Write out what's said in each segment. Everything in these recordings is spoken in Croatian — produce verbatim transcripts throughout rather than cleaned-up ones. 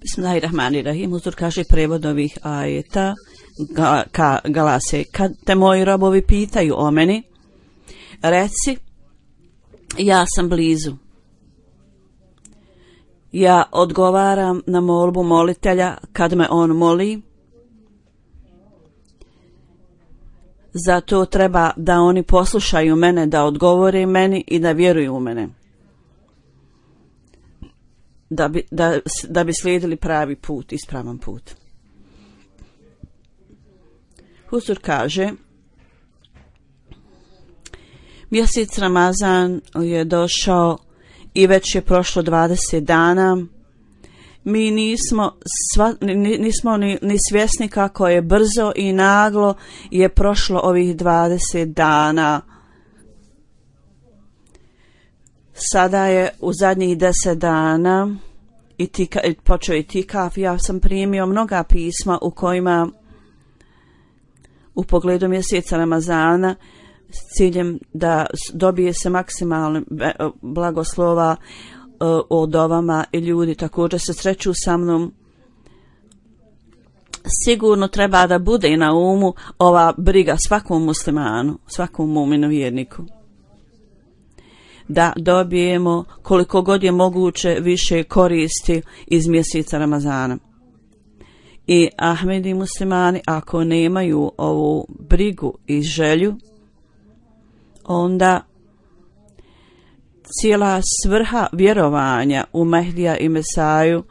Bismillahirrahmanirrahim. Huzur kaže prevod ovih ajeta ga, ka, galase: kad te moji robovi pitaju o meni, reci, ja sam blizu. Ja odgovaram na molbu molitelja kad me on moli. Zato treba da oni poslušaju mene, da odgovore meni i da vjeruju u mene, da bi, da, da bi slijedili pravi put, ispravan put. Huzur kaže, mjesec Ramazan je došao i već je prošlo dvadeset dana. Mi nismo, sva, nismo ni, ni svjesni kako je brzo i naglo je prošlo ovih dvadeset dana. Sada je u zadnjih deset dana i tika, počeo i tikaf. Ja sam primio mnoga pisma u kojima u pogledu mjeseca Ramazana s ciljem da dobije se maksimalno blagoslova o dovama i ljudi također se sreću sa mnom. Sigurno treba da bude i na umu ova briga svakom muslimanu, svakom mu'minu vjerniku, da dobijemo koliko god je moguće više koristi iz mjeseca Ramazana. I Ahmedi muslimani ako nemaju ovu brigu i želju, onda cijela svrha vjerovanja u Mehdija i Mesaju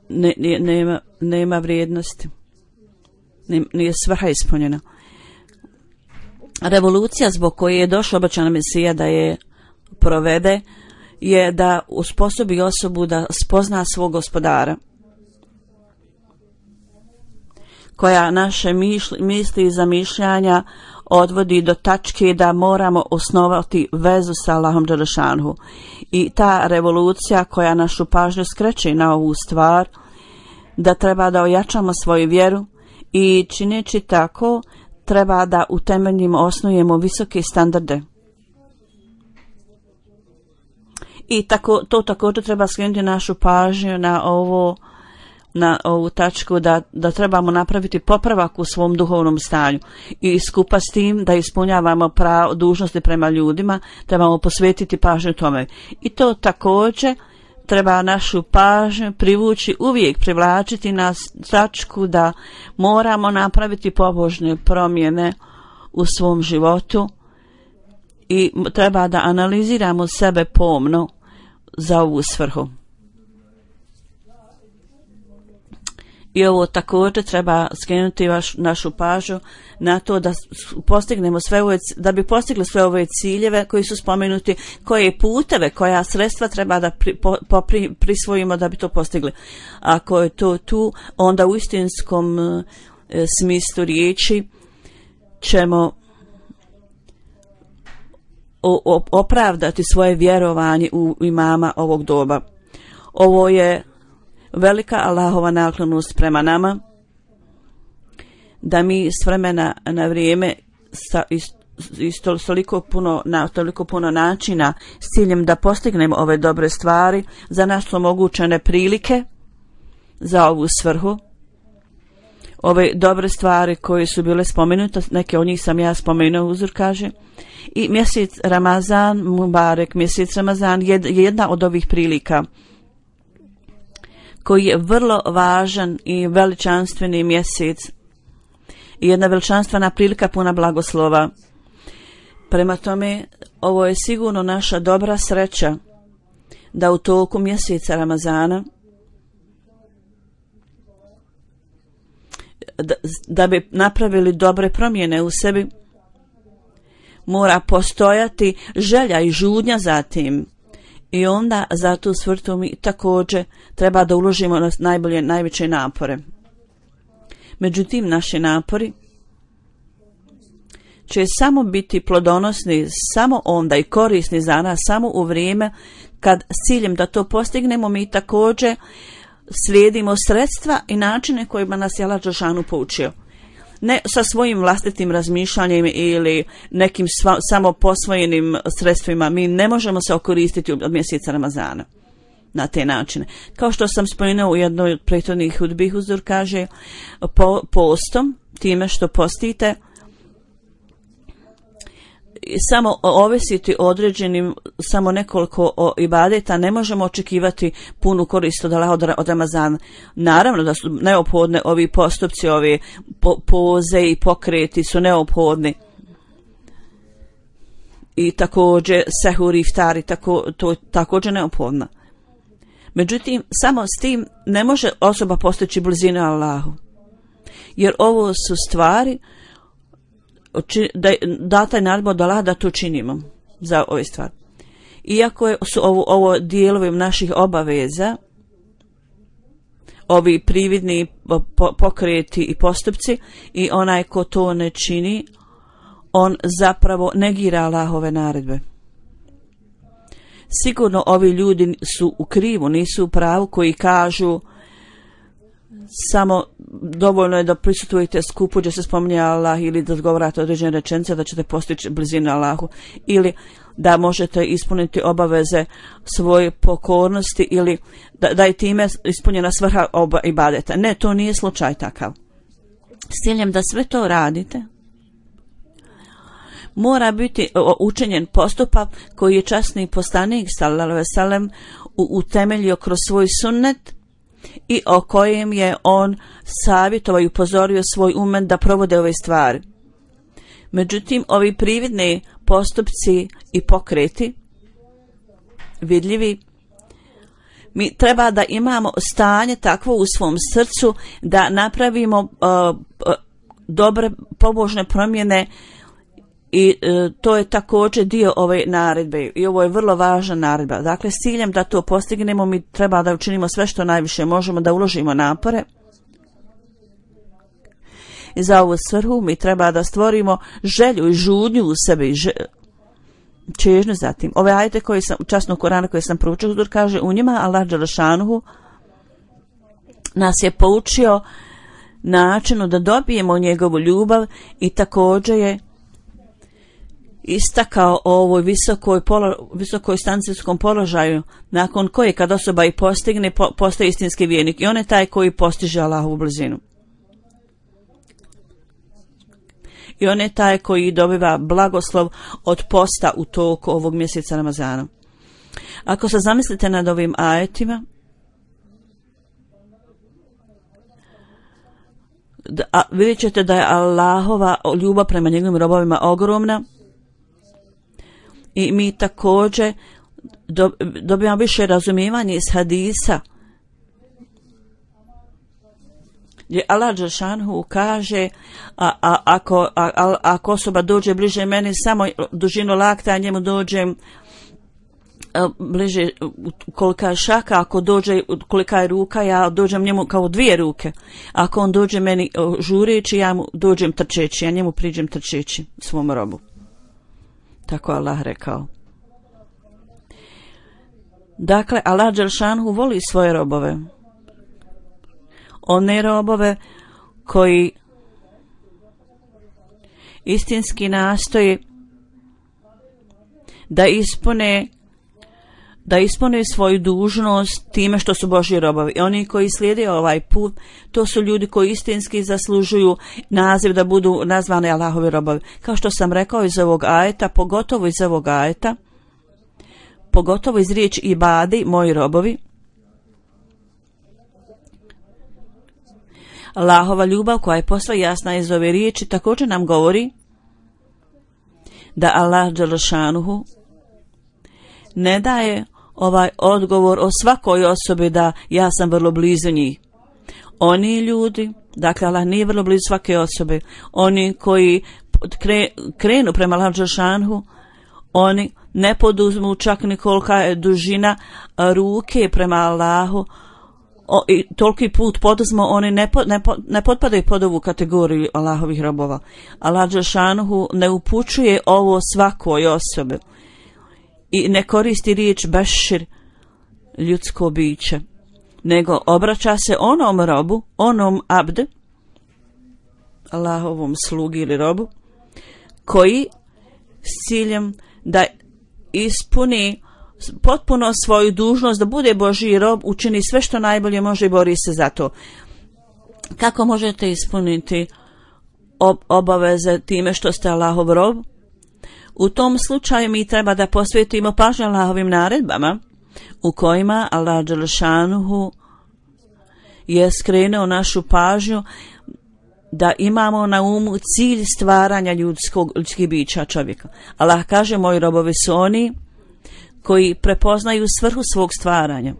ne, ne, nema, nema vrijednosti, nije svrha ispunjena. Revolucija zbog koje je došla obećana Mesija da je provede je da usposobi osobu da spozna svog gospodara, koja naše mišli, misli i zamišljanja odvodi do tačke da moramo osnovati vezu sa Allahom dželešanhu. I ta revolucija koja našu pažnju skreće na ovu stvar, da treba da ojačamo svoju vjeru i čineći tako treba da u temeljima osnujemo visoke standarde. I tako, to također treba skrenuti našu pažnju na ovo, na ovu tačku da, da trebamo napraviti popravak u svom duhovnom stanju i skupa s tim da ispunjavamo pravo, dužnosti prema ljudima, trebamo posvetiti pažnju tome. I to također treba našu pažnju privući, uvijek privlačiti na tačku da moramo napraviti pobožne promjene u svom životu i treba da analiziramo sebe pomno za ovu svrhu. I ovo također treba skrenuti vaš, našu pažnju na to da postignemo sve ove, da bi postigli sve ove ciljeve koji su spomenuti, koje puteve, koja sredstva treba da pri, po, po, pri, prisvojimo da bi to postigli. Ako je to tu, onda u istinskom e, smislu riječi ćemo o, o, opravdati svoje vjerovanje u imama ovog doba. Ovo je velika Allahova naklonost prema nama, da mi s vremena na vrijeme sa isto toliko puno, na toliko puno načina s ciljem da postignemo ove dobre stvari, za nas su omogućene prilike za ovu svrhu. ove dobre stvari koje su bile spomenute, neke od njih sam ja spomenuo, uzor kaže, i mjesec Ramazan, Mubarek, mjesec Ramazan je jedna od ovih prilika koji je vrlo važan i veličanstveni mjesec i jedna veličanstvena prilika puna blagoslova. Prema tome, ovo je sigurno naša dobra sreća da u toku mjeseca Ramazana da, da bi napravili dobre promjene u sebi, mora postojati želja i žudnja za tim. I onda za tu svrhu mi također treba da uložimo na najbolje, najveće napore. Međutim, naši napori će samo biti plodonosni samo onda i korisni za nas samo u vrijeme kad s ciljem da to postignemo mi također slijedimo sredstva i načine kojima nas je Allah dželešanu poučio. Ne sa svojim vlastitim razmišljanjem ili nekim sva, samo posvojenim sredstvima. Mi ne možemo se okoristiti od mjeseca Ramazana na te načine. Kao što sam spomenuo u jednoj od prethodnih hudbi, uzor kaže po, postom, time što postite, samo ovisiti određenim, samo nekoliko o ibadeta, ne možemo očekivati punu korist od Allaha od Ramazana. Naravno da su neophodne ovi postupci, ovi po, poze i pokreti su neophodni. I također sehur i iftar, tako, to je također neophodno. Međutim, samo s tim ne može osoba postići blizinu Allahu. Jer ovo su stvari da data je naredba od Allaha da to činimo za ove stvari. Iako je, su ovo, ovo dijelovi naših obaveza, ovi prividni pokreti i postupci, i onaj ko to ne čini, on zapravo negira Allahove naredbe. Sigurno ovi ljudi su u krivu, nisu u pravu, koji kažu samo dovoljno je da prisutujete skupu gdje se spominje Allah ili da odgovarate određene rečenice da ćete postići blizinu Allahu, ili da možete ispuniti obaveze svoje pokornosti, ili da, da je time ispunjena svrha oba ibadeta. Ne, to nije slučaj takav. S ciljem da sve to radite, mora biti učinjen postupak koji je časni poslanik sallallahu alejhi ve sellem utemeljio kroz svoj sunnet i o kojem je on savjetovao i upozorio svoj umet da provode ove stvari. Međutim, ovi prividni postupci i pokreti vidljivi, mi treba da imamo stanje takvo u svom srcu da napravimo uh, uh, dobre pobožne promjene. I e, to je također dio ove naredbe i ovo je vrlo važna naredba. Dakle, s ciljem da to postignemo mi treba da učinimo sve što najviše možemo, da uložimo napore. I za ovu svrhu mi treba da stvorimo želju i žudnju u sebi, i čežnju za tim. Ove ajete koje sam, časnog Korana koje sam proučio, kaže u njima Allah dželešanu nas je poučio načinu da dobijemo njegovu ljubav i također je istakao o ovoj visokoj, polo, visokoj stancijskom položaju nakon koje kad osoba i postigne po, postaje istinski vjernik i on je taj koji postiže Allahovu blizinu. I on je taj koji dobiva blagoslov od posta u toku ovog mjeseca Ramazana. Ako se zamislite nad ovim ajetima, da, a, vidjet ćete da je Allahova ljubav prema njegovim robovima ogromna. I mi također dobijamo više razumijevanja iz hadisa gdje Allah dželešanu kaže a, a, ako, a, a, ako osoba dođe bliže meni samo dužinu lakta, a njemu dođe a, bliže kolika je šaka, ako dođe kolika je ruka, ja dođem njemu kao dvije ruke. Ako on dođe meni žureći, ja mu dođem trčeći, ja njemu priđem trčeći svom robu. Tako Allah rekao. Dakle, Allah dželešanu voli svoje robove. One robove koji istinski nastoje da ispune da ispune svoju dužnost time što su Božji robovi. I oni koji slijede ovaj put, to su ljudi koji istinski zaslužuju naziv da budu nazvani Allahovi robovi. Kao što sam rekao iz ovog ajeta, pogotovo iz ovog ajeta, pogotovo iz riječi ibadi, moji robovi, Allahova ljubav koja je posve jasna iz ove riječi također nam govori da Allah dželešanuhu ne daje ovaj odgovor o svakoj osobi da ja sam vrlo blizu njih. Oni ljudi, dakle Allah nije vrlo blizu svake osobe, oni koji kre, krenu prema Allah dželešanuhu, oni ne poduzmu čak ni kolika je dužina ruke prema Allahu, O, i toliki put poduzmo, oni ne, po, ne, po, ne potpadaju pod ovu kategoriju Allahovih robova. Allah dželešanuhu ne upućuje ovo svakoj osobi i ne koristi riječ bešir, ljudsko biće, nego obraća se onom robu, onom abd, Allahovom slugi ili robu, koji s ciljem da ispuni potpuno svoju dužnost, da bude Božji rob, učini sve što najbolje može i bori se za to. Kako možete ispuniti ob- obaveze time što ste Allahov rob? U tom slučaju mi treba da posvetimo pažnju Allahovim naredbama, u kojima Allah dželešanuhu je skrenuo našu pažnju da imamo na umu cilj stvaranja ljudskog, ljudskih bića čovjeka. Allah kaže, moji robovi su oni koji prepoznaju svrhu svog stvaranja.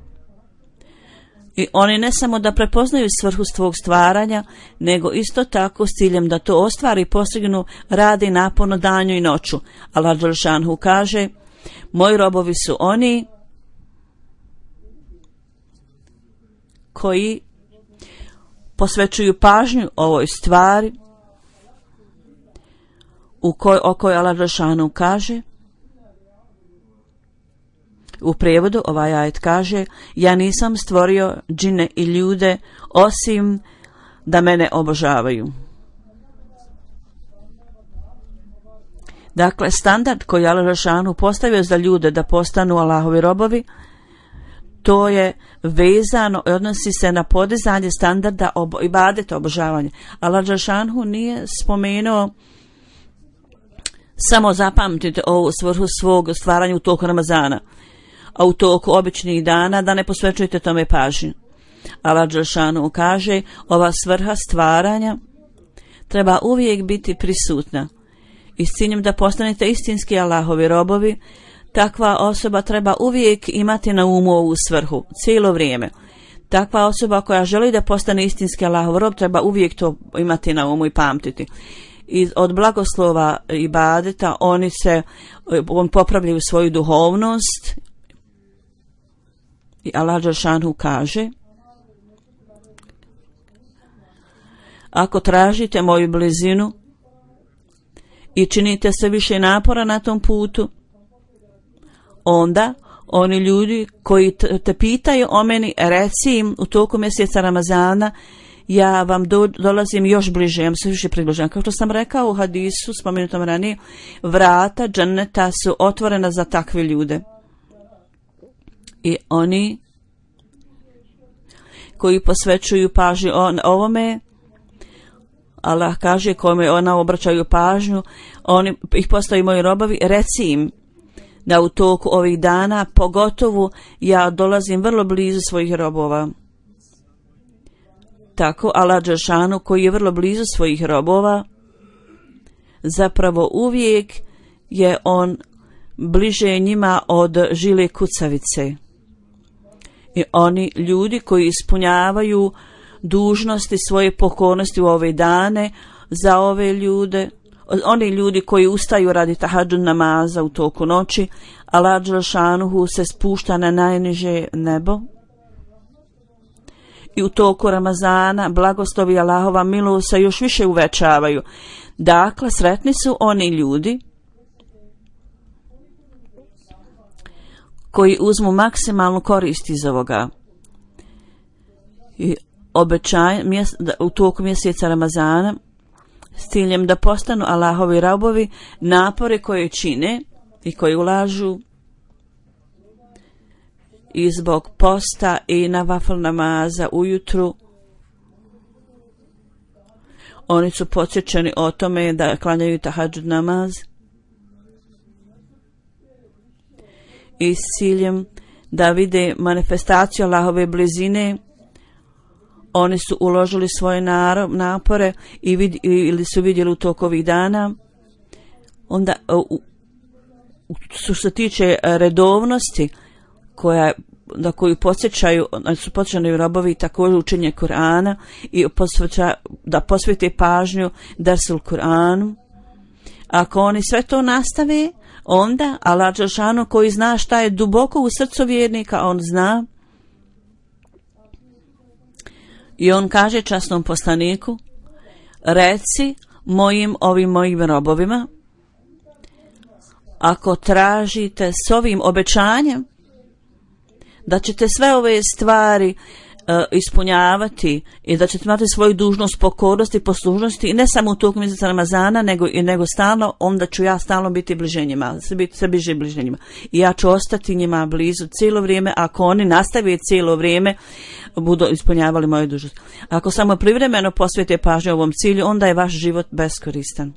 I oni ne samo da prepoznaju svrhu svog stvaranja, nego isto tako s ciljem da to ostvari i postignu, radi naporno danju i noću. Allah dželešanuhu kaže, moji robovi su oni koji posvećuju pažnju ovoj stvari u koj, o kojoj Allah dželešanuhu kaže. U prijevodu ovaj ajet kaže, ja nisam stvorio džine i ljude osim da mene obožavaju. Dakle, standard koji Allah dželešanuhu postavio za ljude da postanu Allahovi robovi, to je vezano i odnosi se na podizanje standarda obo, ibadeta, obožavanja. Allah dželešanuhu nije spomenuo samo zapamtite ovu svrhu svog stvaranja u toku Ramazana, a u toku običnih dana da ne posvećujete tome pažnju. Allah dželešanuhu kaže, ova svrha stvaranja treba uvijek biti prisutna. I s ciljem da postanete istinski Allahovi robovi, takva osoba treba uvijek imati na umu ovu svrhu, cijelo vrijeme. Takva osoba koja želi da postane istinski Allahov rob treba uvijek to imati na umu i pamtiti. I od blagoslova ibadeta oni se on popravljaju svoju duhovnost. I Allah dželešanuhu kaže, ako tražite moju blizinu i činite se više napora na tom putu, onda oni ljudi koji te pitaju o meni, reci im u toku mjeseca Ramazana, ja vam do, dolazim još bliže, ja vam se više približam. Kao što sam rekao u hadisu, spomenutom ranije, vrata dženneta su otvorena za takve ljude. I oni koji posvećuju pažnju ovome, Allah kaže kome ona obraćaju pažnju, oni ih postaju moji robovi, reci im da u toku ovih dana, pogotovo ja dolazim vrlo blizu svojih robova. Tako Allah dželešanuhu koji je vrlo blizu svojih robova, zapravo uvijek je on bliže njima od žile kucavice. I oni ljudi koji ispunjavaju dužnosti svoje pokornosti u ove dane, za ove ljude, oni ljudi koji ustaju radi tahadžud namaza u toku noći, Allah dželešanuhu se spušta na najniže nebo. I u toku Ramazana blagoslovi Allahova milost se još više uvećavaju. Dakle, sretni su oni ljudi koji uzmu maksimalnu korist iz ovoga. I obećaj u toku mjeseca Ramazana s ciljem da postanu Allahovi robovi, napore koje čine i koji ulažu i zbog posta i nafil namaza ujutru. Oni su podsjećeni o tome da klanjaju tahadžud namaz i s ciljem da vide manifestaciju Allahove blizine. Oni su uložili svoje napore i vid, ili su vidjeli u toku ovih dana. Onda u, što se tiče redovnosti koja da koju podsjećaju, su podsjećani robovi također učenje Kur'ana i posveća, da posvete pažnju Dersul Kur'anu. Ako oni sve to nastave, onda Allah dželešanu koji zna šta je duboko u srcu vjernika, on zna. I on kaže časnom poslaniku: reci mojim ovim mojim robovima, ako tražite s ovim obećanjem da ćete sve ove stvari uh, ispunjavati i da ćete imati svoju dužnost pokornosti i poslušnosti i ne samo u toku mjeseca Ramazana nego i nego stalno, onda ću ja stalno biti bliže njima, sve bliže bliže njima i ja ću ostati njima blizu cijelo vrijeme ako oni nastave cijelo vrijeme budu ispunjavali moju dužnost. Ako samo privremeno posvete pažnju ovom cilju, onda je vaš život beskoristan.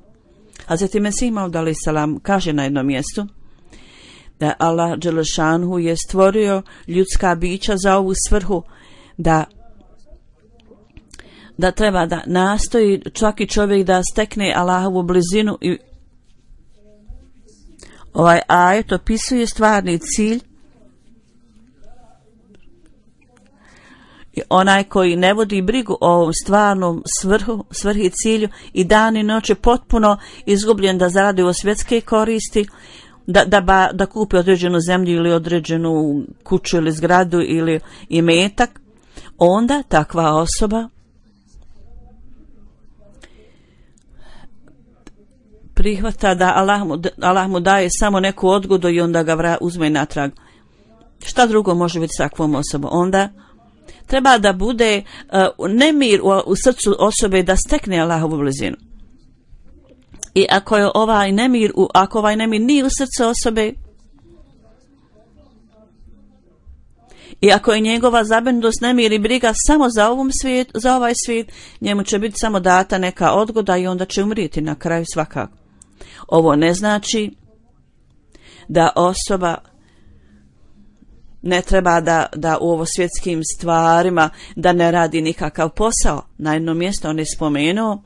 Hazreti Mesih Maud alejhi selam kaže na jednom mjestu da Allah dželešanhu je stvorio ljudska bića za ovu svrhu, da da treba da nastoji svaki čovjek da stekne Allahovu blizinu i ovaj ajet opisuje stvarni cilj i onaj koji ne vodi brigu o ovom stvarnom svrhu, svrhi i cilju i dan i noć je potpuno izgubljen da zaradi o svjetske koristi, da, da, ba, da kupi određenu zemlju ili određenu kuću ili zgradu ili imetak, onda takva osoba prihvata da Allah mu, Allah mu daje samo neku odgodu i onda ga vra, uzme natrag. Šta drugo može biti s takvom osobom? Onda treba da bude uh, nemir u, u srcu osobe da stekne Allahovu blizinu. I ako je ovaj nemir, ako ovaj nemir nije u srcu osobe i ako je njegova zabrinutost, nemir i briga samo za, ovom svijet, za ovaj svijet, njemu će biti samo data neka odgoda i onda će umrijeti na kraju svakako. Ovo ne znači da osoba ne treba da, da u ovo svjetskim stvarima da ne radi nikakav posao. Na jednom mjestu on je spomenuo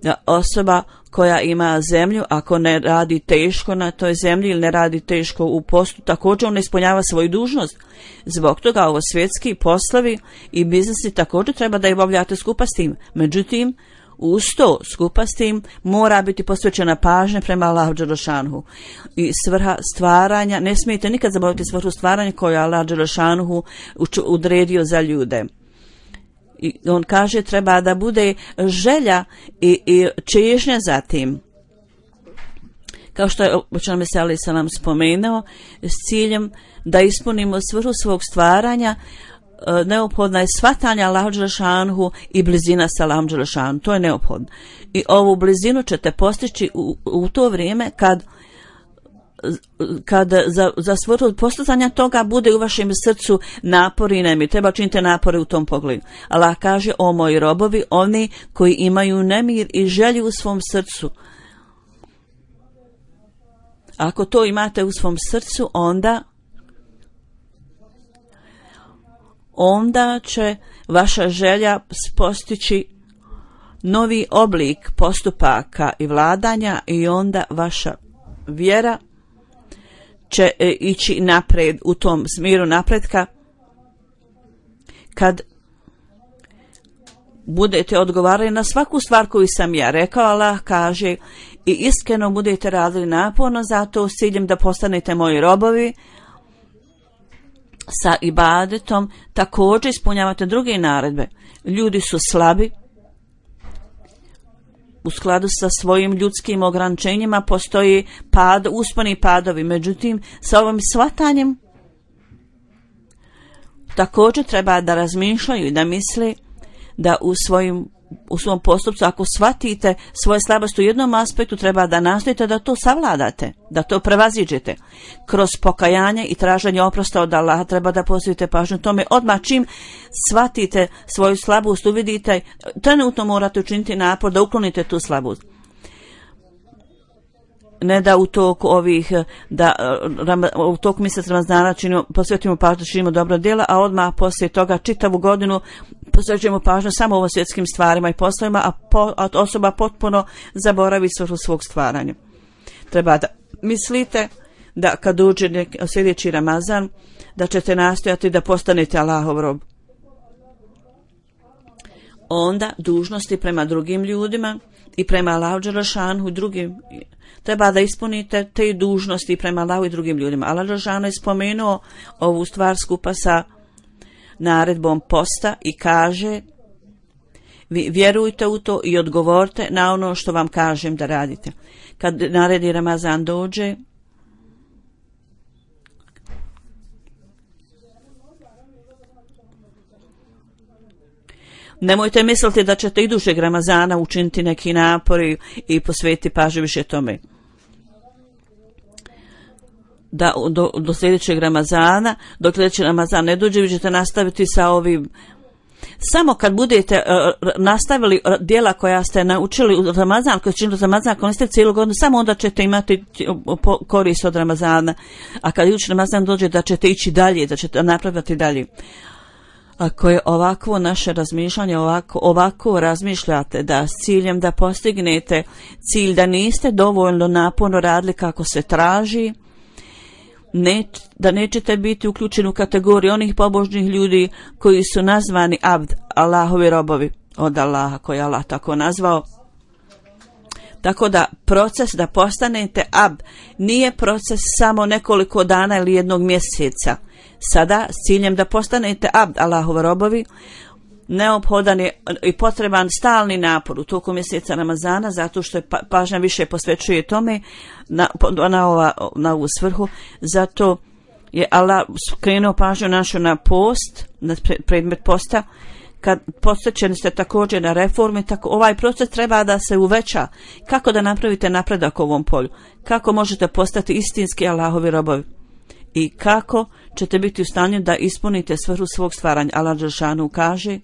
da osoba koja ima zemlju, ako ne radi teško na toj zemlji ili ne radi teško u postu, također on ne ispunjava svoju dužnost. Zbog toga ovo svjetski poslovi i biznesi također treba da ih obavljate skupa s tim. Međutim, uz to skupa s tim mora biti posvećena pažnja prema Allahu dželešanhu. I svrha stvaranja, ne smijete nikad zaboraviti svrhu stvaranja koju je Allah dželešanhu odredio za ljude. I on kaže treba da bude želja i, i čežnja za tim. Kao što je Poslanik Mesih alejhi selam spomenuo, s ciljem da ispunimo svrhu svog stvaranja, neophodna je shvatanje Allahu dželešanhu i blizina sa Allahom dželešanhu. To je neophodno. I ovu blizinu ćete postići u, u to vrijeme kad kad za, za svrhu postizanja toga bude u vašem srcu napor i nemir. Treba činiti napore u tom pogledu. Allah kaže: o moji robovi, oni koji imaju nemir i želju u svom srcu. Ako to imate u svom srcu, onda onda će vaša želja postići novi oblik postupaka i vladanja i onda vaša vjera će e, ići napred u tom smjeru napretka. Kad budete odgovarali na svaku stvar koju sam ja rekao, Allah kaže, i iskreno budete radili naporno za to s ciljem da postanete moji robovi, sa ibadetom također ispunjavate druge naredbe. Ljudi su slabi, u skladu sa svojim ljudskim ograničenjima postoji pad, usponi padovi. Međutim, sa ovim shvatanjem također treba da razmišljaju i da misle da u svojim u svom postupcu, ako shvatite svoje slabosti u jednom aspektu, treba da nastojite da to savladate, da to prevaziđete. Kroz pokajanje i traženje oprosta od Allaha treba da posvetite pažnju tome. Odmah čim shvatite svoju slabost, uvidite, trenutno morate učiniti napor da uklonite tu slabost. Ne da u toku ovih, da u toku mjeseca Ramazana činimo, posvetimo pažnju, činimo dobro djela, a odmah poslije toga čitavu godinu posvećujemo pažnju samo ovo svjetskim stvarima i poslovima, a, po, a osoba potpuno zaboravi svrhu svog stvaranja. Treba da mislite da kad uđe nek, sljedeći Ramazan, da ćete nastojati da postanete Allahov rob. Onda dužnosti prema drugim ljudima i prema Allahu dželešanu i drugim, treba da ispunite te dužnosti prema Allahu i drugim ljudima. Allah dželešanu je spomenuo ovu stvar skupa sa naredbom posta i kaže: vi vjerujte u to i odgovorite na ono što vam kažem da radite. Kad naredi Ramazan dođe, nemojte misliti da ćete idućeg Ramazana učiniti neki napor i, i posvetiti pažnju više tome. Da do, do sljedećeg Ramazana, dok sljedeći Ramazan ne dođe, vi ćete nastaviti sa ovim. Samo kad budete uh, nastavili djela koja ste naučili u Ramazan, koji činili Ramazan, ako niste cijelu godinu, samo onda ćete imati korist od Ramazana. A kad idući Ramazan dođe, da ćete ići dalje, da ćete napraviti dalje. Ako je ovakvo naše razmišljanje, ovako, ovako razmišljate da s ciljem da postignete cilj, da niste dovoljno naporno radili kako se traži, ne, da nećete biti uključeni u kategoriju onih pobožnih ljudi koji su nazvani abd, Allahovi robovi od Allaha, koji je Allah tako nazvao. Tako da proces da postanete abd nije proces samo nekoliko dana ili jednog mjeseca. Sada s ciljem da postanete abd, Allahovi robovi, neophodan je i potreban stalni napor u toku mjeseca Ramazana, zato što je pažnja više posvećuje tome na, na, ova, na ovu svrhu. Zato je Allah skrenuo pažnju našu na post, na predmet posta. Kad posvećeni ste također na reformi, tako ovaj proces treba da se uveća. Kako da napravite napredak u ovom polju? Kako možete postati istinski Allahovi robovi? I kako ćete biti u stanju da ispunite svrhu svog stvaranja? Allah dželešanu kaže: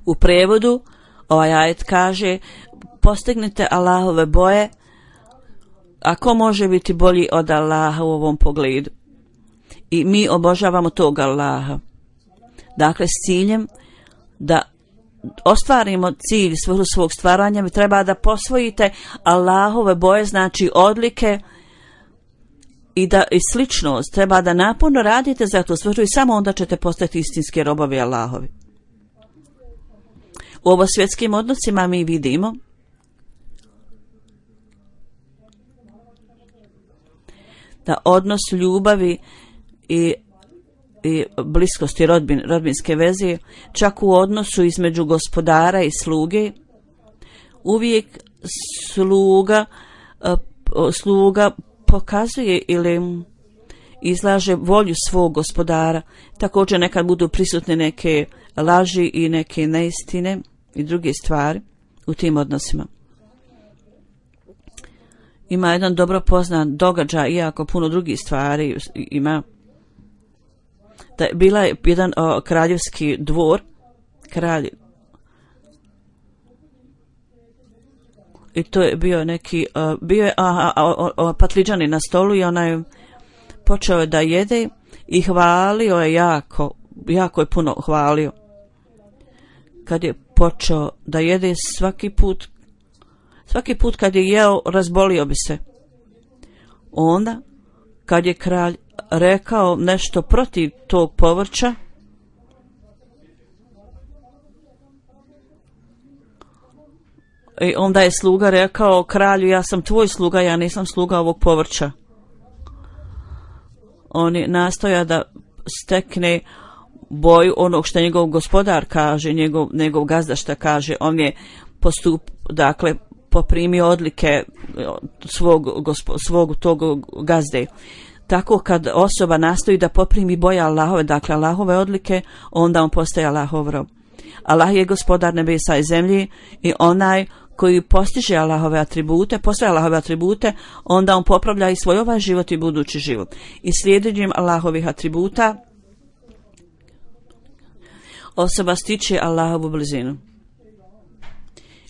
u prevodu ovaj ajet kaže: postignite Allahove boje, a ko može biti bolji od Allaha u ovom pogledu? I mi obožavamo tog Allaha. Dakle, s ciljem da ostvarimo cilj svrhu svog stvaranja, vi treba da posvojite Allahove boje, znači odlike i da i sličnost. Treba da naporno radite za tu svrhu i samo onda ćete postati istinski robovi Allahovi. U ovo svjetskim odnosima mi vidimo da odnos ljubavi i, i bliskosti rodbin, rodbinske veze, čak u odnosu između gospodara i sluge, uvijek sluga, sluga pokazuje ili izlaže volju svog gospodara. Također nekad budu prisutne neke laži i neke neistine i druge stvari u tim odnosima. Ima jedan dobro poznat događaj, iako puno drugih stvari ima. Da je bila je jedan o, kraljevski dvor, kralj, i to je bio neki, o, bio je a, a, o, o, patliđani na stolu i onaj počeo je da jede i hvalio je jako, jako je puno hvalio. Kad je počeo da jede, svaki put, svaki put kad je jeo, razbolio bi se. Onda, kad je kralj rekao nešto protiv tog povrća, i onda je sluga rekao kralju: ja sam tvoj sluga, ja nisam sluga ovog povrća. On je nastoja da stekne boju onog što njegov gospodar kaže, njegov, njegov gazda šta kaže. On je postup, dakle, poprimi odlike svog, gospo, svog tog gazde. Tako kad osoba nastoji da poprimi boje Allahove, dakle Allahove odlike, onda on postaje Allahov rob. Allah je gospodar nebesa i zemlji i onaj koji postiže Allahove atribute, postaje Allahove atribute, onda on popravlja i svoj ovaj život i budući život. I slijedjenjem Allahovih atributa osoba stiče Allahovu blizinu.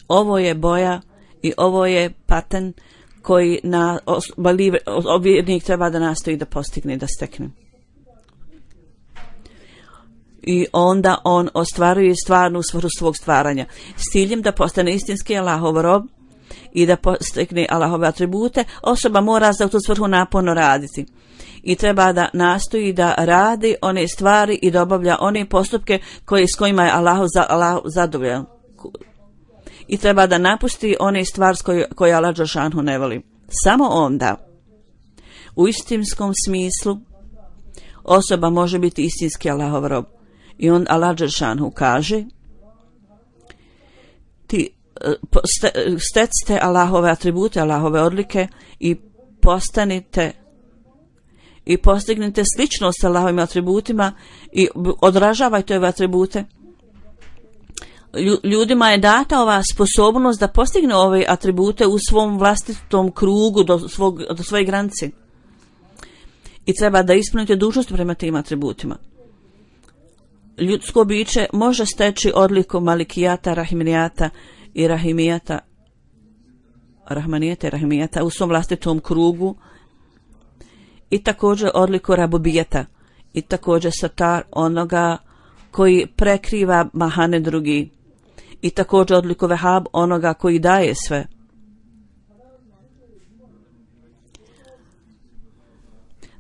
Ovo je boja i ovo je patent koji na vjernik treba da nastoji da postigne i da stekne. I onda on ostvaruje stvarnu svrhu svog stvaranja s ciljem da postane istinski Allahov rob i da postekne Allahove atribute. Osoba mora za tu svrhu naporno raditi i treba da nastoji da radi one stvari i da obavlja one postupke koje, s kojima je Allah, za, Allah zadovoljan. I treba da napusti one stvari koje, koje Allah dželešanu ne voli. Samo onda u istinskom smislu osoba može biti istinski Allahov rob. I on Allah dželešanu kaže: ti stecite Allahove atribute, Allahove odlike i postanite i postignite sličnost sa Allahovim atributima i odražavajte ove atribute. Ljudima je data ova sposobnost da postigne ove atribute u svom vlastitom krugu do, svog, do svoje granice. I treba da ispunite dužnost prema tim atributima. Ljudsko biće može steći odliku malikijata, rahmanijata i rahimijata, rahmanijata i rahimijata u svom vlastitom krugu i također odliku rabubijata i također satar onoga koji prekriva mahane drugi i također odliku vehab onoga koji daje sve.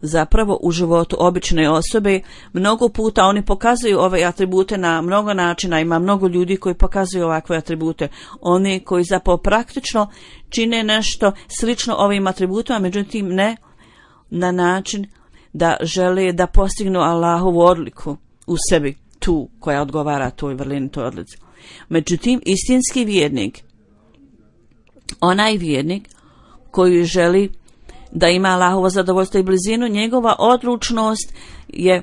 Zapravo u životu obične osobe mnogo puta oni pokazuju ove atribute na mnogo načina. Ima mnogo ljudi koji pokazuju ovakve atribute. Oni koji zapravo praktično čine nešto slično ovim atributima, međutim ne na način da žele da postignu Allahovu odliku u sebi, tu koja odgovara toj vrlini, toj odlici. Međutim, istinski vjernik, onaj vjernik koji želi da ima Allahovo zadovoljstvo i blizinu, njegova odlučnost je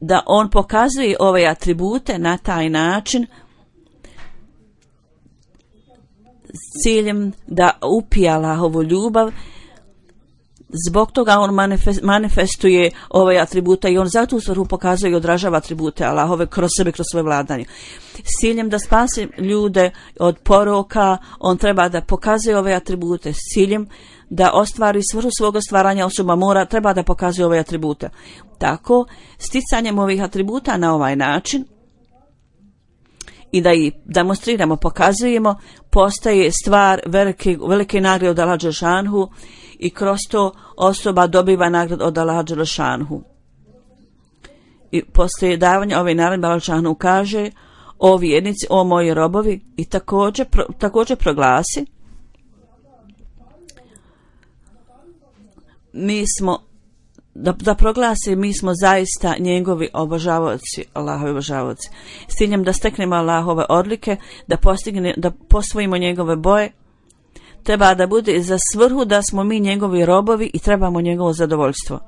da on pokazuje ove atribute na taj način s ciljem da upije Allahovu ljubav. Zbog toga on manifestuje ove atribute i on zato u svrhu pokazuje i odražava atribute Allahove kroz sebe, kroz svoje vladanje. S ciljem da spasi ljude od poroka, on treba da pokazuje ove atribute. S ciljem da ostvari svrhu svoga stvaranja, osoba mora, treba da pokazuje ove atribute. Tako, sticanjem ovih atributa na ovaj način i da ih demonstriramo, pokazujemo, postaje stvar velike, velike nagrade od Allaha dželešanu i kroz to osoba dobiva nagradu od Allaha dželešanu. I poslije davanja ove naredbe Allaha dželešanu kaže: o vjernici, o moji robovi, i također, pro, također proglasi: mi smo, da, da proglasi, mi smo zaista njegovi obožavaoci, Allahovi obožavaoci, s ciljem da steknemo Allahove odlike, da postigne, da posvojimo njegove boje. Treba da bude za svrhu da smo mi njegovi robovi i trebamo njegovo zadovoljstvo.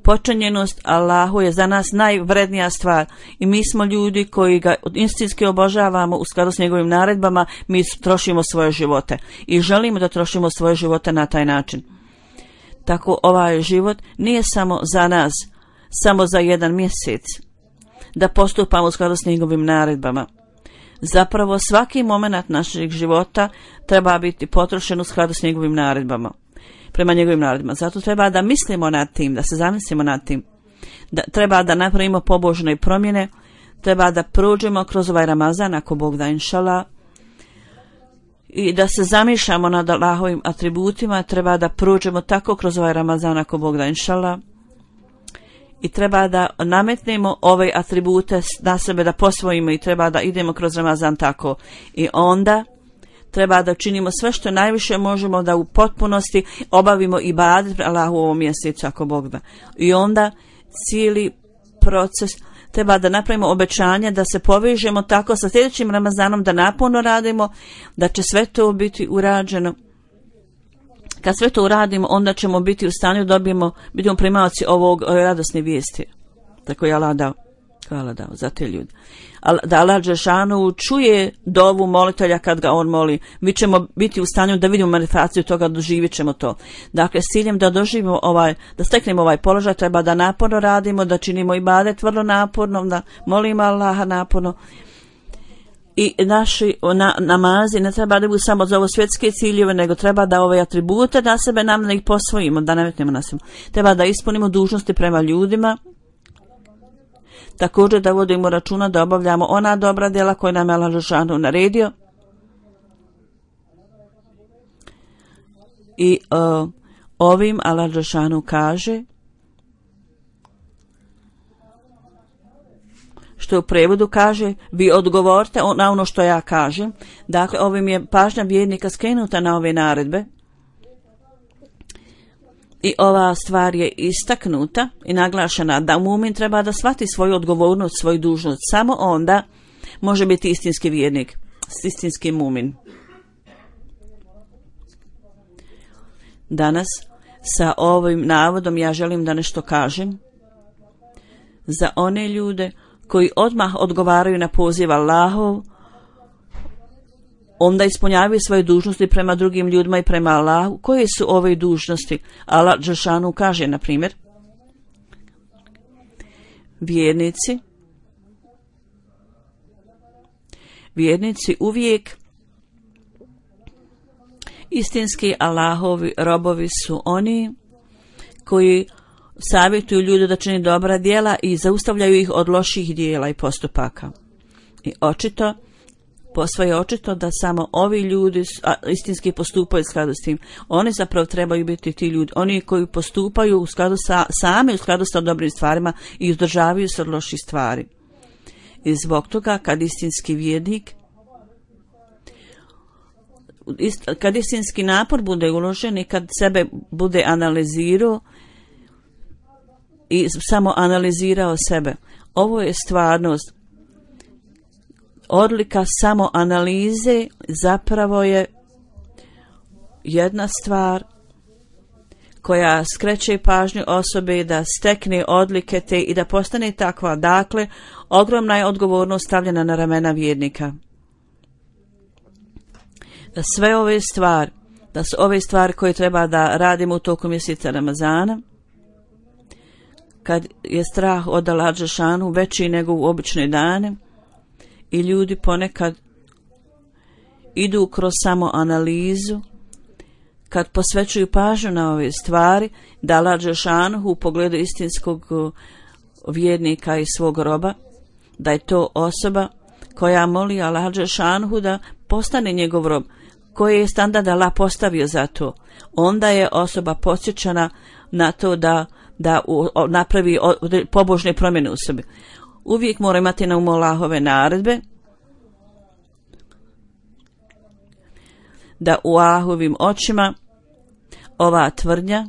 Počinjenost Allahu je za nas najvrednija stvar i mi smo ljudi koji ga istinski obožavamo u skladu s njegovim naredbama. Mi trošimo svoje živote i želimo da trošimo svoje živote na taj način. Tako ovaj život nije samo za nas, samo za jedan mjesec, da postupamo u skladu s njegovim naredbama. Zapravo svaki moment našeg života treba biti potrošen u skladu s njegovim naredbama, prema njegovim naredbama. Zato treba da mislimo nad tim, da se zamislimo nad tim. Da, treba da napravimo pobožne promjene, treba da prođemo kroz ovaj Ramazan, ako Bog da, inšala, i da se zamišljamo nad Allahovim atributima. Treba da prođemo tako kroz ovaj Ramazan, ako Bog da, inšala, i treba da nametnemo ove atribute na sebe, da posvojimo, i treba da idemo kroz Ramazan tako. I onda treba da činimo sve što najviše možemo da u potpunosti obavimo ibadet Allahu u ovom mjesecu, ako Bog da. I onda cijeli proces treba da napravimo obećanje da se povežemo tako sa sljedećim Ramazanom, da naporno radimo, da će sve to biti urađeno. Kad sve to uradimo, onda ćemo biti u stanju da dobijemo, budemo primaoci ovog radosne vijesti. Tako je Allah dao. Hvala dao za te ljude. Da Allah Đelešanu čuje dovu molitelja kad ga on moli. Mi ćemo biti u stanju da vidimo manifestaciju toga, doživjet ćemo to. Dakle, s ciljem da doživimo ovaj, da steknemo ovaj položaj, treba da naporno radimo, da činimo ibadet vrlo naporno, da molimo Allaha naporno. I naši na, namazi ne treba da budu samo za ovo svjetske ciljeve, nego treba da ove atribute na sebe nam da ih posvojimo, da nametnemo na sebe. Treba da ispunimo dužnosti prema ljudima. Također da vodimo računa da obavljamo ona dobra djela koja nam je Allah Đelešanu naredio. I uh, ovim Allah Đelešanu kaže, što u prevodu kaže, vi odgovorite na ono što ja kažem. Dakle, ovim je pažnja vjernika skrenuta na ove naredbe. I ova stvar je istaknuta i naglašena da mumin treba da shvati svoju odgovornost, svoju dužnost. Samo onda može biti istinski vjernik, istinski mumin. Danas sa ovim navodom ja želim da nešto kažem za one ljude koji odmah odgovaraju na poziv Allahov, onda ispunjavaju svoje dužnosti prema drugim ljudima i prema Allahu. Koje su ove dužnosti? Allah Đelešanu kaže, na primjer, vjernici, vjernici uvijek istinski Allahovi robovi su oni koji savjetuju ljude da čini dobra djela i zaustavljaju ih od loših djela i postupaka. I očito, posve je očito da samo ovi ljudi istinski postupaju u skladu s tim. Oni zapravo trebaju biti ti ljudi, oni koji postupaju u skladu sa, sami u skladu sa dobrim stvarima i uzdržavaju se od loših stvari. I zbog toga kad istinski vjernik, kad istinski napor bude uložen i kad sebe bude analizirao i samo analizirao sebe, ovo je stvarnost. Odlika samo analize zapravo je jedna stvar koja skreće pažnju osobe da stekne odlike te i da postane takva. Dakle, ogromna je odgovornost stavljena na ramena vjernika. Da sve ove stvari, da su ove stvari koje treba da radimo u toku mjeseca Ramazana, kad je strah od Allaha Đelešanu veći nego u obične dane, i ljudi ponekad idu kroz samo analizu, kad posvećuju pažnju na ove stvari, da Allah Đelešanu u pogledu istinskog vjernika i svog roba, da je to osoba koja moli Allah Đelešanu da postane njegov rob, koji je standard Allah postavio za to. Onda je osoba podsjećana na to da, da u, o, napravi o, pobožne promjene u sebi. Uvijek mora imati na umu Allahove naredbe, da u Allahovim očima ova tvrdnja,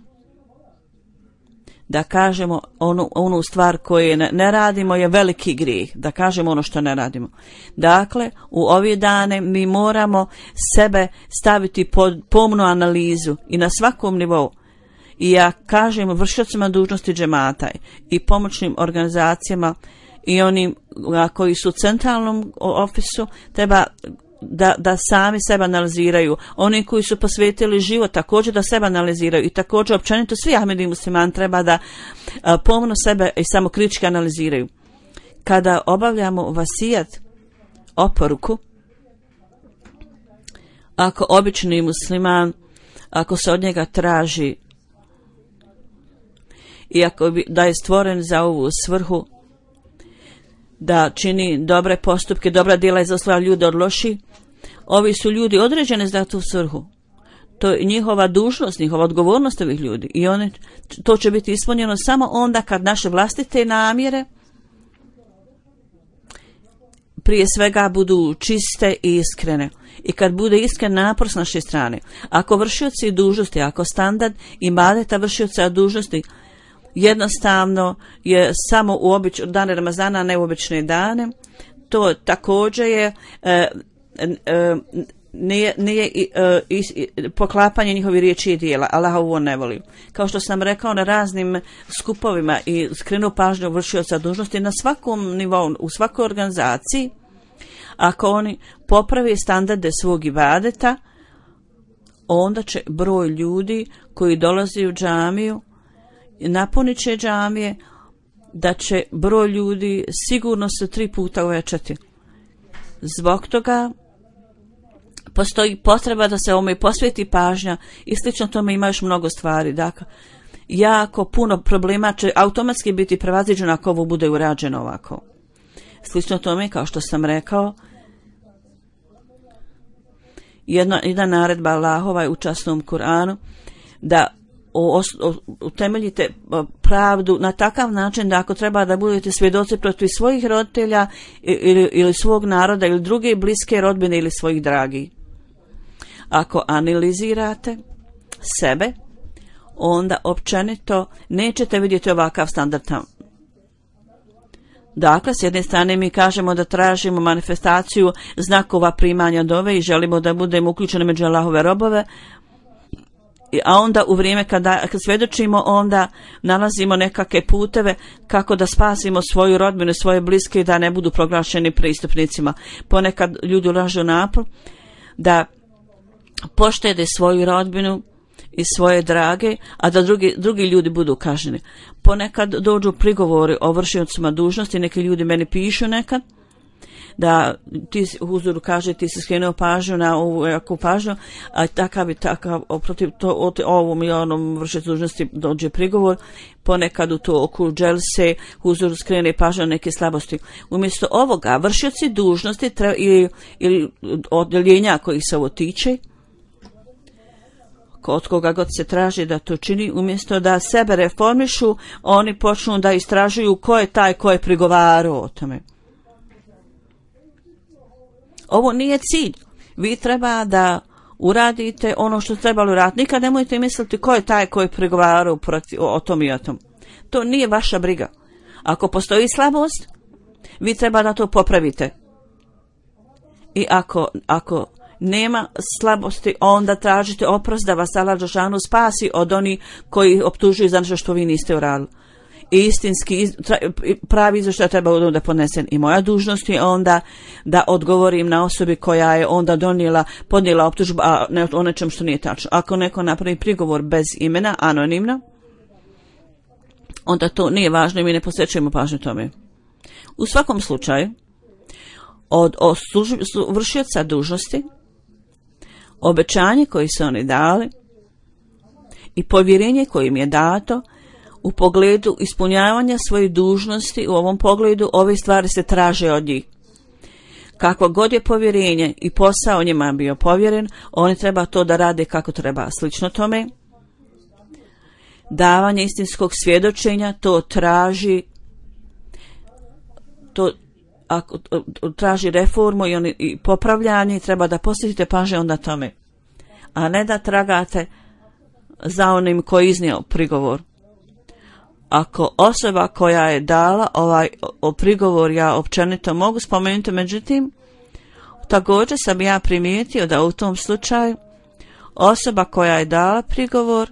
da kažemo onu, onu stvar koju ne, ne radimo je veliki grijeh, da kažemo ono što ne radimo. Dakle, u ove dane mi moramo sebe staviti pod pomnu analizu i na svakom nivou. I ja kažem vršiocima dužnosti džemata i pomoćnim organizacijama i onim koji su u centralnom ofisu, treba da, da sami sebe analiziraju. Oni koji su posvetili život također da sebe analiziraju i također općenito svi Ahmedi muslimani treba da a, pomno sebe i samo kritički analiziraju. Kada obavljamo vasijat, oporuku, ako obični musliman, ako se od njega traži i ako bi, da je stvoren za ovu svrhu, da čini dobre postupke, dobra djela i zaustavlja ljude od loših, ovi su ljudi određeni za tu svrhu. To je njihova dužnost, njihova odgovornost ovih ljudi. I one, to će biti ispunjeno samo onda kad naše vlastite namjere prije svega budu čiste i iskrene. I kad bude iskren napor s naše strane. Ako vršioci dužnosti, ako standard ibadeta vršioca dužnosti jednostavno je samo u obič, dane Ramazana, ne u obične dane. To također je e, e, nije, nije e, is, poklapanje njihovi riječi i dijela. Allah ovo ne voli. Kao što sam rekao, na raznim skupovima i skrenuo pažnju vršioca dužnosti na svakom nivou, u svakoj organizaciji, ako oni poprave standarde svog ibadeta, onda će broj ljudi koji dolazi u džamiju, napunit će džamije, da će broj ljudi sigurno se tri puta uvećati. Zbog toga postoji potreba da se ovome posveti pažnja i slično tome ima još mnogo stvari. Dakle, jako puno problema će automatski biti prevaziđeno ako ovo bude urađeno ovako. Slično tome, kao što sam rekao, jedna, jedna naredba Allahova je u časnom Kur'anu da utemeljite pravdu na takav način da ako treba da budete svjedoci protiv svojih roditelja ili, ili svog naroda ili druge bliske rodbine ili svojih dragih. Ako analizirate sebe, onda općenito nećete vidjeti ovakav standard tamo. Dakle, s jedne strane mi kažemo da tražimo manifestaciju znakova primanja dove i želimo da budemo uključeni među Allahove robove, a onda u vrijeme kada kad svjedočimo, onda nalazimo nekakve puteve kako da spasimo svoju rodbinu, svoje bliske, da ne budu proglašeni prestupnicima. Ponekad ljudi ulažu napor da poštede svoju rodbinu i svoje drage, a da drugi, drugi ljudi budu kažnjeni. Ponekad dođu prigovori o vršiocima dužnosti, neki ljudi meni pišu nekad, da ti huzoru kaže ti si skrenuo pažnju na ovu jaku pažnju, a takav i takav protiv to, o ovom i onom vršiocu dužnosti dođe prigovor. Ponekad u to oko dželse huzoru skrene pažnju na neke slabosti. Umjesto ovoga vršioci dužnosti treba, ili, ili odjeljenja koji se ovo tiče, od koga god se traži da to čini, umjesto da sebe reformišu, oni počnu da istražuju ko je taj ko je prigovarao o tome. Ovo nije cilj. Vi treba da uradite ono što trebalo uraditi. Nikad nemojte misliti ko je taj ko je prigovarao o, o tom i o tom. To nije vaša briga. Ako postoji slabost, vi treba da to popravite. I ako, ako nema slabosti, onda tražite oprost da vas Allah dželešanu spasi od onih koji optužuju za nešto što vi niste uradili. I istinski pravi izvještaj treba da podnesem i moja dužnost je onda da odgovorim na osobi koja je onda donijela, podnijela optužbu a ne o nečem što nije tačno. Ako neko napravi prigovor bez imena, anonimno, onda to nije važno i mi ne posvećujemo pažnju tome. U svakom slučaju, od vršioca dužnosti, obećanje koje su oni dali i povjerenje koje im je dato u pogledu ispunjavanja svojih dužnosti, u ovom pogledu ove stvari se traže od njih. Kakvo god je povjerenje i posao njima bio povjeren, oni treba to da rade kako treba. Slično tome, davanje istinskog svjedočenja, to traži to ako traži reformu i, oni, i popravljanje, treba da posjetite pažnje onda tome, a ne da tragate za onim koji iznio prigovor. Ako osoba koja je dala ovaj o prigovor, ja općenito mogu spomenuti, međutim, također sam ja primijetio da u tom slučaju osoba koja je dala prigovor,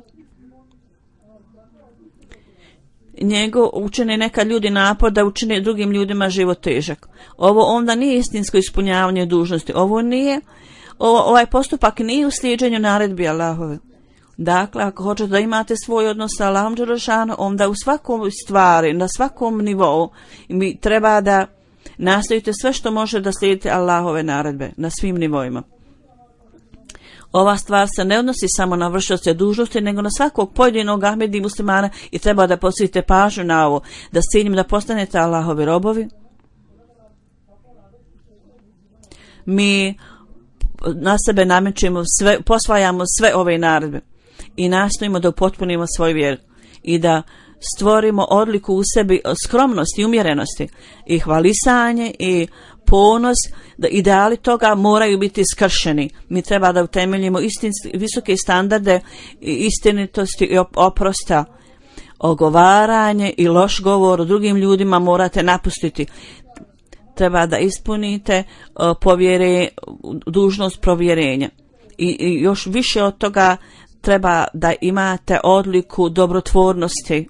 njego učine nekad ljudi napor da učine drugim ljudima život težak. Ovo onda nije istinsko ispunjavanje dužnosti. Ovo nije, ovo, ovaj postupak nije u slijeđenju naredbi Allahove. Dakle, ako hoćete da imate svoj odnos sa Allahom dželešanu, onda u svakom stvari, na svakom nivou, mi treba da nastavite sve što može da slijedite Allahove naredbe na svim nivoima. Ova stvar se ne odnosi samo na vršioce dužnosti, nego na svakog pojedinog Ahmedi muslimana i treba da posvetite pažnju na ovo, da s ciljem da postanete Allahovi robovi. Mi na sebe namećemo sve, posvajamo sve ove naredbe i nastojimo da upotpunimo svoju vjeru i da stvorimo odliku u sebi skromnosti, umjerenosti i hvalisanje i ponos, da ideali toga moraju biti skršeni. Mi treba da utemeljimo istinski, visoke standarde istinitosti i oprosta ogovaranje i loš govor o drugim ljudima morate napustiti. Treba da ispunite uh, povjere, dužnost provjerenja. I, I još više od toga treba da imate odliku dobrotvornosti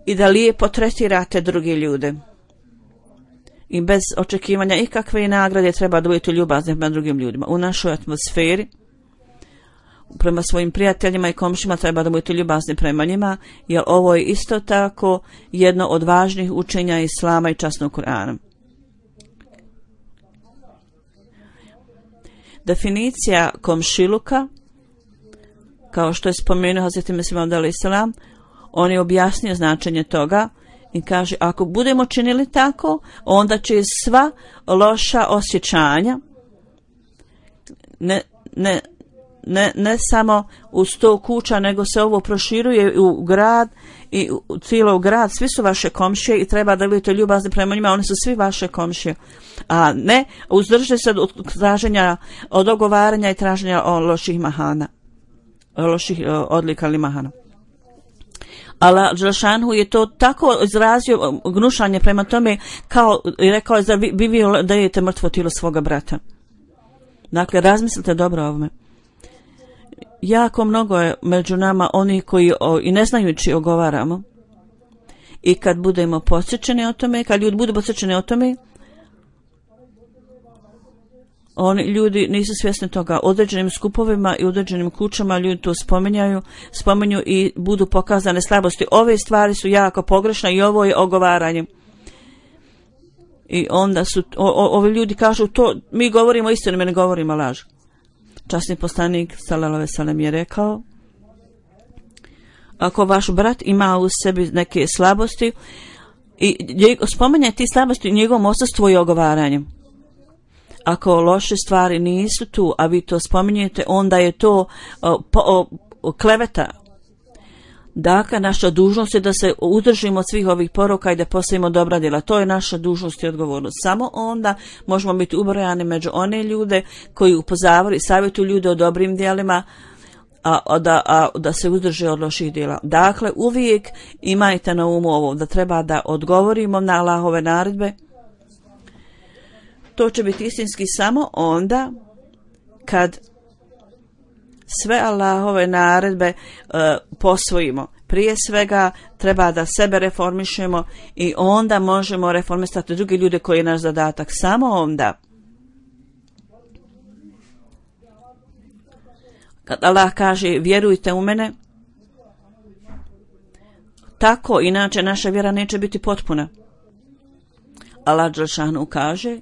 i da lijepo tretirate druge ljude. I bez očekivanja ikakve nagrade treba da budete ljubazni prema drugim ljudima. U našoj atmosferi, prema svojim prijateljima i komšima treba da budete ljubazni prema njima, jer ovo je isto tako jedno od važnih učenja Islama i časnog Kur'ana. Definicija komšiluka, kao što je spomenuo Hazreti Mesih Maud alejhi selam, on je objasnio značenje toga i kaže, ako budemo činili tako, onda će sva loša osjećanja, ne, ne, ne, ne samo u sto kuća, nego se ovo proširuje u grad i u cijelo grad, svi su vaše komšije i treba da budete ljubazni prema njima, oni su svi vaše komšije. A ne, uzdržite se od traženja, od ogovaranja i traženja o loših mahana, o loših odlika ili mahana. Allah Đelešanu je to tako izrazio gnušanje prema tome, kao i rekao je da vi, vi dajete mrtvo tijelo svoga brata. Dakle, razmislite dobro o ovome. Jako mnogo je među nama oni koji o, i ne znajući ogovaramo. I kad budemo podsjećeni o tome, kad ljudi budu podsjećeni o tome, oni ljudi nisu svjesni toga. Određenim skupovima i određenim kućama ljudi to spominjaju, spominju i budu pokazane slabosti. Ove stvari su jako pogrešne i ovo je ogovaranje. I onda su, o, o, ovi ljudi kažu to, mi govorimo istinu, mi ne govorimo laž. Časni poslanik sallallahu alejhi ve sellem je rekao, ako vaš brat ima u sebi neke slabosti i spominje ti slabosti u njegovom odsustvu i ogovaranjem. Ako loše stvari nisu tu, a vi to spominjete, onda je to o, po, o, kleveta. Dakle, naša dužnost je da se udržimo od svih ovih poroka i da postavimo dobra djela. To je naša dužnost i odgovornost. Samo onda možemo biti ubrojani među one ljude koji upozoravaju i savjetuju ljude o dobrim djelima, a, a, da, a da se uzdrže od loših djela. Dakle, uvijek imajte na umu ovo, da treba da odgovorimo na Allahove naredbe. To će biti istinski samo onda kad sve Allahove naredbe uh, posvojimo. Prije svega treba da sebe reformišemo i onda možemo reformisati drugi ljude koji je naš zadatak. Samo onda. Kad Allah kaže vjerujte u mene, tako inače naša vjera neće biti potpuna. Allah Đelešanu kaže,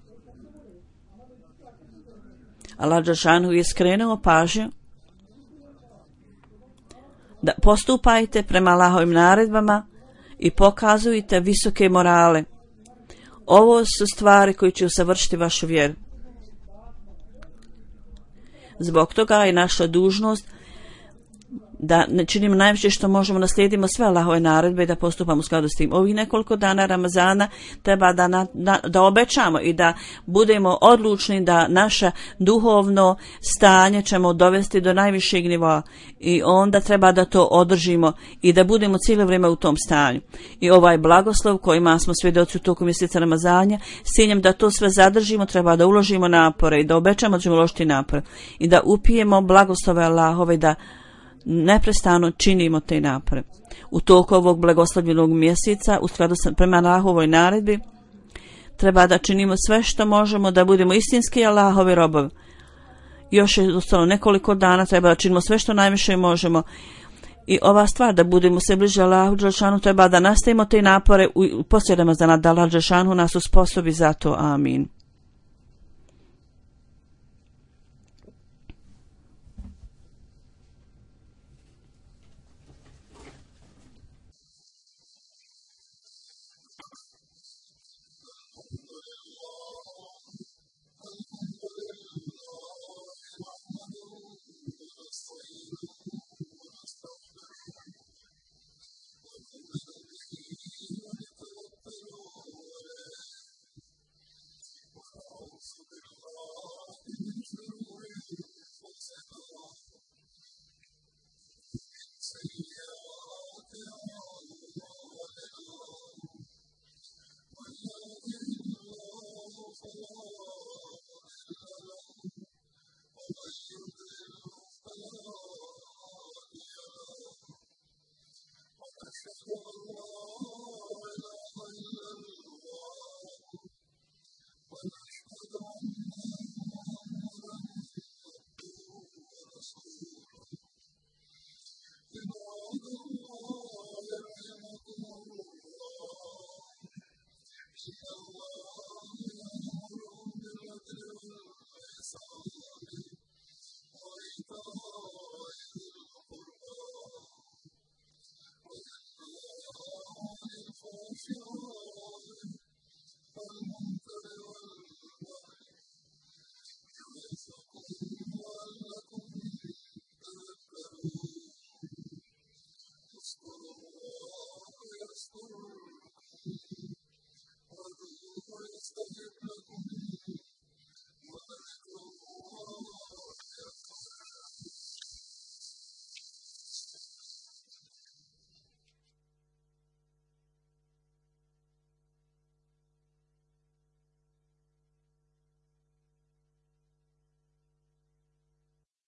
Allah Đelešanu je skrenuo pažnju da postupajte prema Allahovim naredbama i pokazujte visoke morale. Ovo su stvari koje će usavršiti vašu vjeru. Zbog toga je naša dužnost da ne činimo najviše što možemo, naslijedimo sve Allahove naredbe i da postupamo u skladu s tim. Ovih nekoliko dana Ramazana treba da, na, na, da obećamo i da budemo odlučni da naše duhovno stanje ćemo dovesti do najvišeg nivoa i onda treba da to održimo i da budemo cijelo vrijeme u tom stanju. I ovaj blagoslov kojima smo svjedoci u toku mjeseca Ramazana, s ciljem da to sve zadržimo, treba da uložimo napore i da obećamo da ćemo uložiti napore i da upijemo blagoslove Allahove, da neprestano činimo te napore. U toku ovog blagoslovljenog mjeseca, u skladu sa prema Allahovoj naredbi, treba da činimo sve što možemo da budemo istinski Allahovi robovi. Još je ostalo nekoliko dana, treba da činimo sve što najviše možemo. I ova stvar da budemo se bliže Allahu Đelešanu, treba da nastavimo te napore u poslije Ramazana, da Allah Đelešanu nas usposobi za to. Amin.